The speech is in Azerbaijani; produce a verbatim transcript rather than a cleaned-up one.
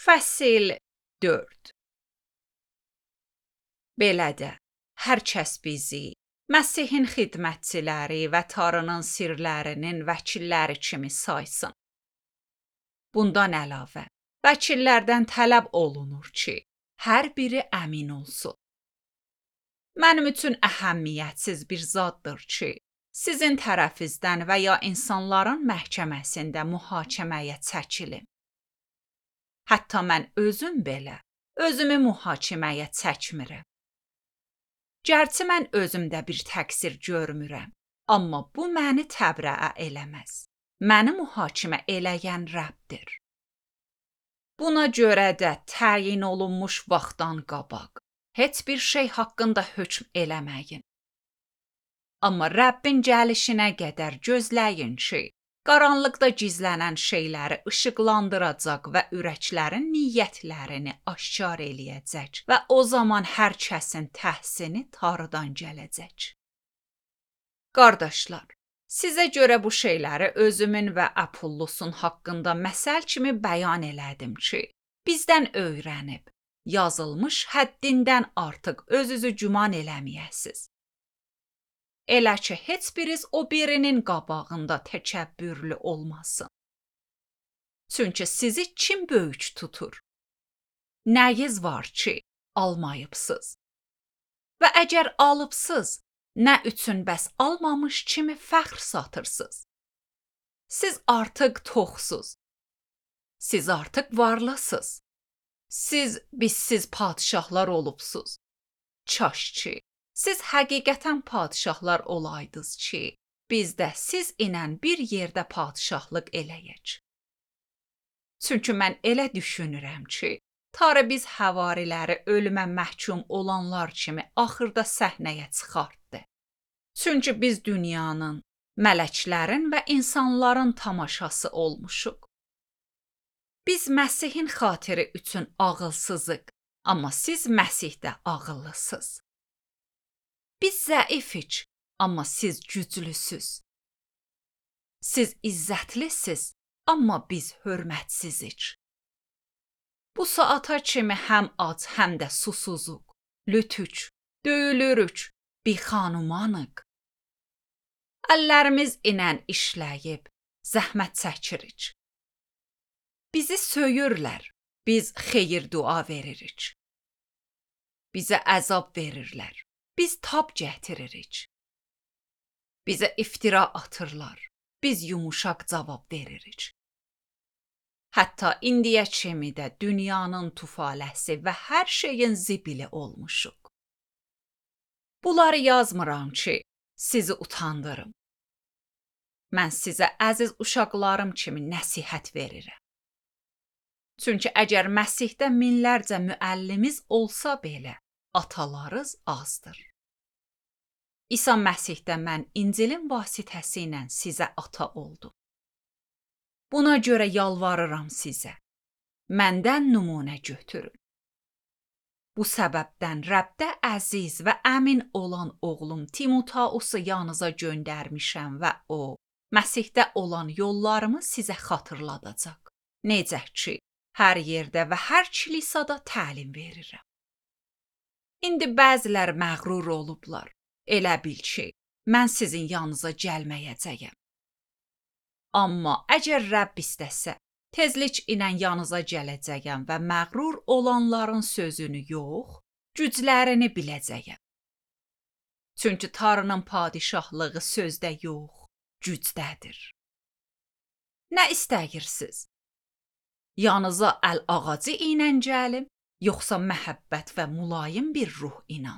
Fəsil dörd. Belə də, hər kəs bizi Məsihin xidmətçiləri və Tanrının sirlərinin vəkilləri kimi saysın. Bundan əlavə, vəkillərdən tələb olunur ki, hər biri əmin olsun. Mənim üçün əhəmiyyətsiz bir zaddır ki, sizin tərəfinizdən və ya insanların məhkəməsində mühakiməyə çəkilim. Hətta mən özüm belə özümü mühakiməyə çəkmirəm. Gərçi mən özümdə bir təqsir görmürəm, amma bu məni təbriə eləməz. Məni mühakimə eləyən Rəbbdir. Buna görə də təyin olunmuş vaxtdan qabaq heç bir şey haqqında hökm eləməyin. Amma Rəbbin gəlişinə qədər gözləyin ki, qaranlıqda gizlənən şeyləri işıqlandıracaq və ürəklərin niyyətlərini aşkar eləyəcək və o zaman hər kəsin təhsini Tanrıdan gələcək. Qardaşlar, sizə görə bu şeyləri özümün və Apollosun haqqında məsəl kimi bəyan elədim ki, bizdən öyrənib, yazılmış həddindən artıq özünüzü güman eləməyəsiz. Elə ki, heç biriz o birinin qabağında təkəbbürlü olmasın. Çünki sizi kim böyük tutur? Nəyiz var ki, almayıbsınız? Və əgər alıbsınız, nə üçün bəs almamış kimi fəxr satırsınız? Siz artıq toxsuz. Siz artıq varlısınız. Siz bizsiz padişahlar olubsuz. Kaş ki, siz həqiqətən padişahlar olaydınız ki, biz də siz ilə bir yerdə padişahlıq eləyək. Çünki mən elə düşünürəm ki, Tanrı biz həvariləri ölümə məhkum olanlar kimi axırda səhnəyə çıxartdı. Çünki biz dünyanın, mələklərin və insanların tamaşası olmuşuq. Biz Məsihin xatiri üçün ağılsızıq, amma siz Məsihdə ağıllısınız. Biz zəifik, amma siz güclüsüz. Siz izzətlisiz, amma biz hörmətsizik. Bu saata kimi həm ac, həm də susuzuq, lütük, döyülürük, bixanumanıq. Əllərimiz ilə işləyib, zəhmət çəkirik. Bizi söyürlər, biz xeyir dua veririk. Bizə əzab verirlər. Biz tab gətiririk. Bizə iftira atırlar. Biz yumuşaq cavab veririk. Hətta indiyə kimi də dünyanın tufaləsi və hər şeyin zibili olmuşuq. Bunları yazmıram ki, sizi utandırım. Mən sizə əziz uşaqlarım kimi nəsihət verirəm. Çünki əgər Məsihdə minlərcə müəllimiz olsa belə, atalarız azdır. İsa Məsihdə mən İncilin vasitəsi ilə sizə ata oldum. Buna görə yalvarıram sizə, məndən nümunə götürün. Bu səbəbdən Rəbdə əziz və əmin olan oğlum Timotausu yanınıza göndərmişəm və o, Məsihdə olan yollarımı sizə xatırladacaq. Necə ki, hər yerdə və hər kilisada təlim verirəm. İndi bəzilər məğrur olublar. Elə bil ki, mən sizin yanınıza gəlməyəcəyəm. Amma əgər Rəbb istəsə, tezlik ilə yanınıza gələcəyəm və məğrur olanların sözünü yox, güclərini biləcəyəm. Çünki Tanrının padişahlığı sözdə yox, gücdədir. Nə istəyirsiniz? Yanınıza əl ağacı ilə gəlim, yoxsa məhəbbət və mülayim bir ruh ilə?